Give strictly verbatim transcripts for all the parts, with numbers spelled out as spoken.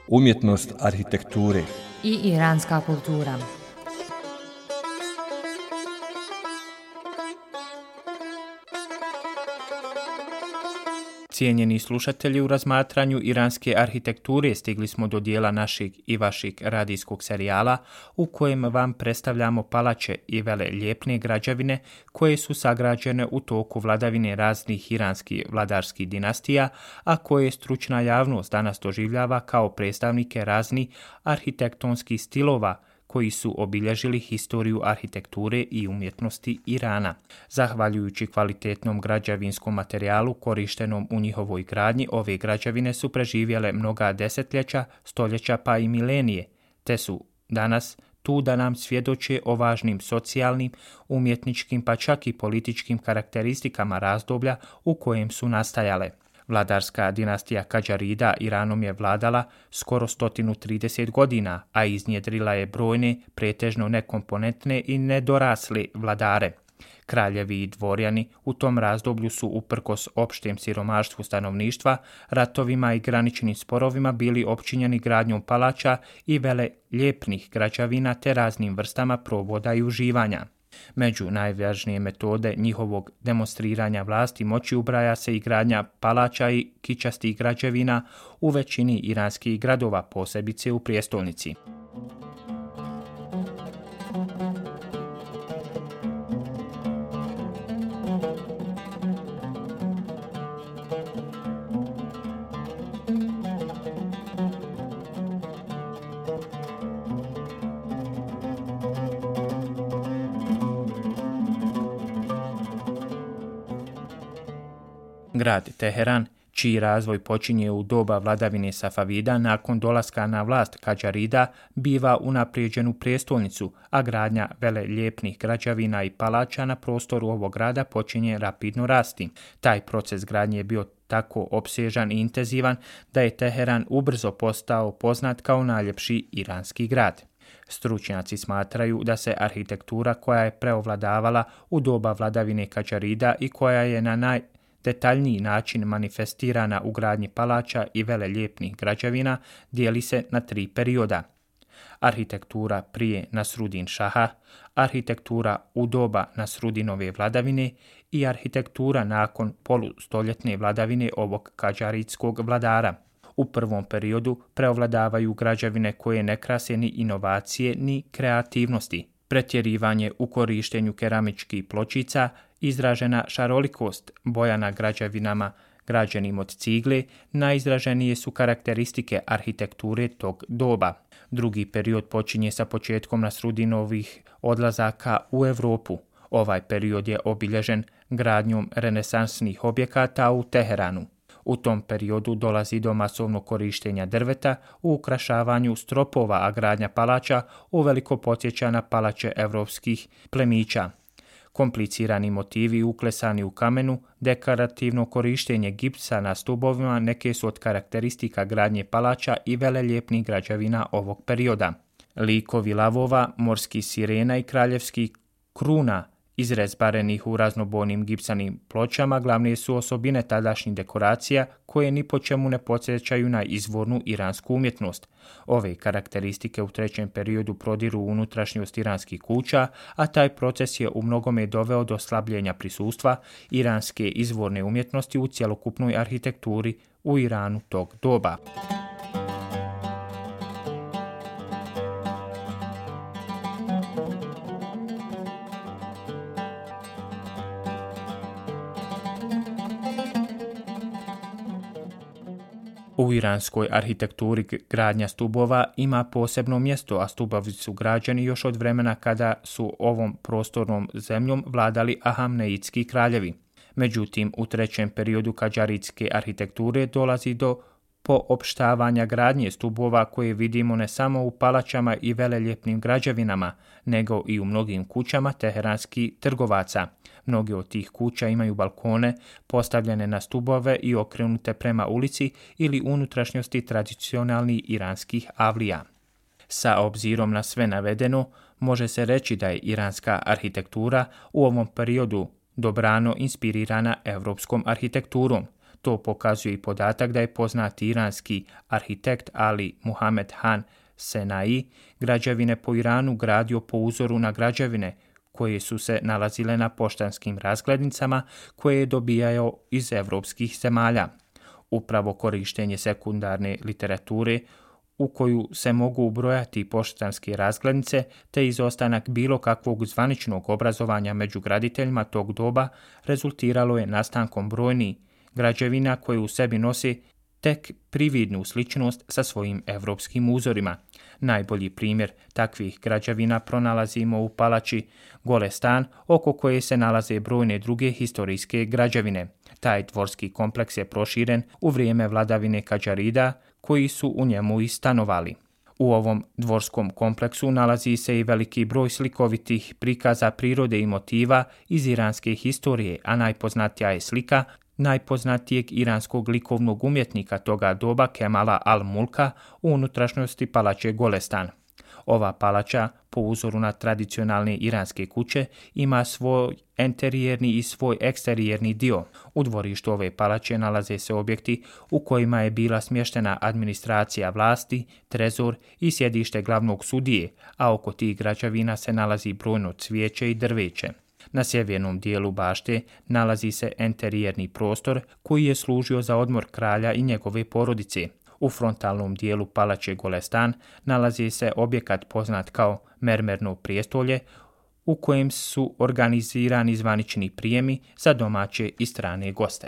Umjetnost arhitekture i iranska kultura. Cijenjeni slušatelji, u razmatranju iranske arhitekture stigli smo do dijela našeg i vašeg radijskog serijala u kojem vam predstavljamo palače i veleljepne građevine koje su sagrađene u toku vladavine raznih iranskih vladarskih dinastija, a koje stručna javnost danas doživljava kao predstavnike raznih arhitektonskih stilova koji su obilježili historiju arhitekture i umjetnosti Irana. Zahvaljujući kvalitetnom građevinskom materijalu korištenom u njihovoj gradnji, ove građevine su preživjele mnoga desetljeća, stoljeća pa i milenije, te su danas tu da nam svjedoče o važnim socijalnim, umjetničkim pa čak i političkim karakteristikama razdoblja u kojem su nastajale. Vladarska dinastija Kadžarida Iranom je vladala skoro sto trideset godina, a iznjedrila je brojne, pretežno nekomponentne i nedorasle vladare. Kraljevi i dvorjani u tom razdoblju su uprkos opštem siromaštvu stanovništva, ratovima i graničnim sporovima bili opčinjeni gradnjom palača i veleljepnih građevina te raznim vrstama proboda i uživanja. Među najvažnije metode njihovog demonstriranja vlasti moći ubraja se i gradnja palača i kičastih građevina u većini iranskih gradova, posebice u prijestolnici. Grad Teheran, čiji razvoj počinje u doba vladavine Safavida, nakon dolaska na vlast Kadžarida, biva unaprijeđen u prijestolnicu, a gradnja veleljepnih građevina i palača na prostoru ovog grada počinje rapidno rasti. Taj proces gradnje je bio tako opsežan i intenzivan da je Teheran ubrzo postao poznat kao najljepši iranski grad. Stručnjaci smatraju da se arhitektura koja je preovladavala u doba vladavine Kadžarida i koja je na naj detaljniji način manifestirana u gradnji palača i veleljepnih građevina dijeli se na tri perioda. Arhitektura prije Nasrudin Šaha, arhitektura u doba Nasrudinove vladavine i arhitektura nakon polustoljetne vladavine ovog kadžaridskog vladara. U prvom periodu preovladavaju građevine koje ne krase ni inovacije ni kreativnosti. Pretjerivanje u korištenju keramičkih pločica, izražena šarolikost boja na građevinama građenim od cigle, najizraženije su karakteristike arhitekture tog doba. Drugi period počinje sa početkom Nasrudinovih odlazaka u Europu. Ovaj period je obilježen gradnjom renesansnih objekata u Teheranu. U tom periodu dolazi do masovnog korištenja drveta u ukrašavanju stropova, a gradnja palača uveliko podsjeća na palače evropskih plemića. Komplicirani motivi uklesani u kamenu, dekorativno korištenje gipsa na stubovima neke su od karakteristika gradnje palača i veleljepnih građevina ovog perioda. Likovi lavova, morskih sirena i kraljevskih kruna izrezbarenih u raznobojnim gipsanim pločama glavne su osobine tadašnjih dekoracija koje ni po čemu ne podsjećaju na izvornu iransku umjetnost. Ove karakteristike u trećem periodu prodiru u unutrašnjost iranskih kuća, a taj proces je u mnogome doveo do slabljenja prisustva iranske izvorne umjetnosti u cjelokupnoj arhitekturi u Iranu tog doba. U iranskoj arhitekturi gradnja stubova ima posebno mjesto, a stubovi su građeni još od vremena kada su ovom prostornom zemljom vladali Ahamneidski kraljevi. Međutim, u trećem periodu kadžaridske arhitekture dolazi do poopštavanja gradnje stubova koje vidimo ne samo u palačama i veleljepnim građevinama, nego i u mnogim kućama teheranskih trgovaca. Mnoge od tih kuća imaju balkone postavljene na stubove i okrenute prema ulici ili unutrašnjosti tradicionalnih iranskih avlija. Sa obzirom na sve navedeno, može se reći da je iranska arhitektura u ovom periodu dobrano inspirirana europskom arhitekturom. To pokazuje i podatak da je poznati iranski arhitekt Ali Muhammed Han Senai građevine po Iranu gradio po uzoru na građevine koje su se nalazile na poštanskim razglednicama koje je dobijao iz evropskih zemalja. Upravo korištenje sekundarne literature u koju se mogu ubrojati poštanske razglednice te izostanak bilo kakvog zvaničnog obrazovanja među graditeljima tog doba rezultiralo je nastankom brojnih građevina koje u sebi nose tek prividnu sličnost sa svojim evropskim uzorima. Najbolji primjer takvih građevina pronalazimo u palači Golestan, oko koje se nalaze brojne druge historijske građevine. Taj dvorski kompleks je proširen u vrijeme vladavine Kadžarida, koji su u njemu i stanovali. U ovom dvorskom kompleksu nalazi se i veliki broj slikovitih prikaza prirode i motiva iz iranske historije, a najpoznatija je slika najpoznatijeg iranskog likovnog umjetnika toga doba Kemala al-Mulka u unutrašnjosti palače Golestan. Ova palača, po uzoru na tradicionalne iranske kuće, ima svoj enterijerni i svoj eksterijerni dio. U dvorištu ove palače nalaze se objekti u kojima je bila smještena administracija vlasti, trezor i sjedište glavnog sudije, a oko tih građevina se nalazi brojno cvijeće i drveće. Na sjevernom dijelu bašte nalazi se enterijerni prostor koji je služio za odmor kralja i njegove porodice. U frontalnom dijelu palače Golestan nalazi se objekat poznat kao mermerno prijestolje u kojem su organizirani zvanični prijemi za domaće i strane goste.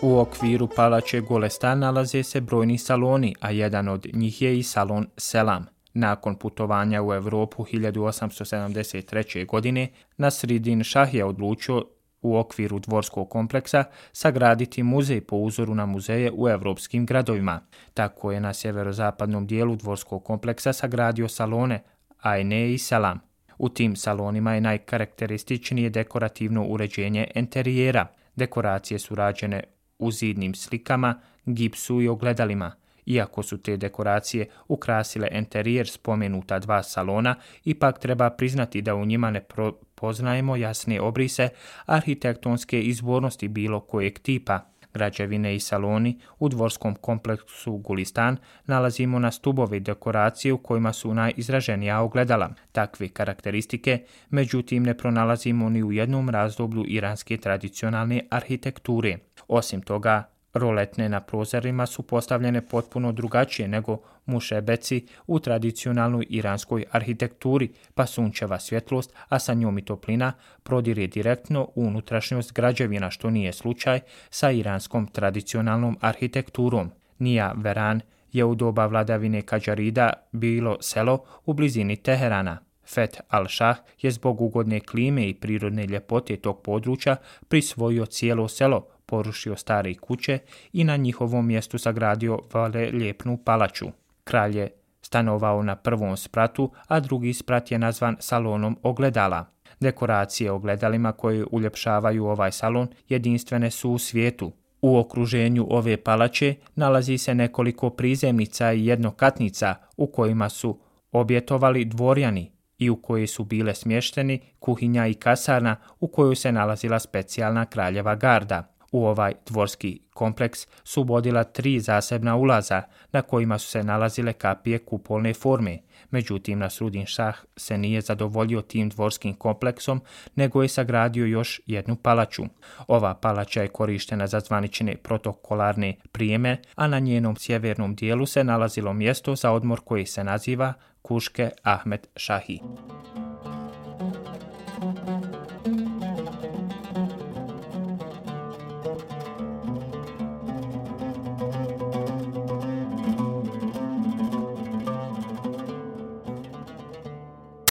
U okviru palače Golestan nalaze se brojni saloni, a jedan od njih je i salon Selam. Nakon putovanja u Europu hiljadu osamsto sedamdeset treće. godine, Nasridin Šah je odlučio u okviru dvorskog kompleksa sagraditi muzej po uzoru na muzeje u evropskim gradovima. Tako je na sjeverozapadnom dijelu dvorskog kompleksa sagradio salone Ajne i Selam. U tim salonima je najkarakterističnije dekorativno uređenje enterijera. Dekoracije su rađene u zidnim slikama, gipsu i ogledalima. Iako su te dekoracije ukrasile enterijer spomenuta dva salona, ipak treba priznati da u njima ne poznajemo jasne obrise arhitektonske izvornosti bilo kojeg tipa. Građevine i saloni u dvorskom kompleksu Gulistan nalazimo na stubove dekoracije u kojima su najizraženija ogledala. Takve karakteristike, međutim, ne pronalazimo ni u jednom razdoblju iranske tradicionalne arhitekture. Osim toga, roletne na prozorima su postavljene potpuno drugačije nego mušebeci u tradicionalnoj iranskoj arhitekturi, pa sunčeva svjetlost, a sa njom i toplina, prodire direktno u unutrašnjost građevina, što nije slučaj sa iranskom tradicionalnom arhitekturom. Nija Veran je u doba vladavine Kadžarida bilo selo u blizini Teherana. Feth al-Šah je zbog ugodne klime i prirodne ljepote tog područja prisvojio cijelo selo, porušio stare kuće i na njihovom mjestu sagradio veleljepnu palaču. Kralj je stanovao na prvom spratu, a drugi sprat je nazvan salonom ogledala. Dekoracije ogledalima koje uljepšavaju ovaj salon jedinstvene su u svijetu. U okruženju ove palače nalazi se nekoliko prizemnica i jednokatnica u kojima su objetovali dvorjani i u kojoj su bile smješteni kuhinja i kasarna u kojoj se nalazila specijalna kraljeva garda. U ovaj dvorski kompleks su vodila tri zasebna ulaza na kojima su se nalazile kapije kupolne forme. Međutim, Nasridin Šah se nije zadovoljio tim dvorskim kompleksom, nego je sagradio još jednu palaču. Ova palača je korištena za zvanične protokolarne prijeme, a na njenom sjevernom dijelu se nalazilo mjesto za odmor koje se naziva Kuške Ahmed Šahi.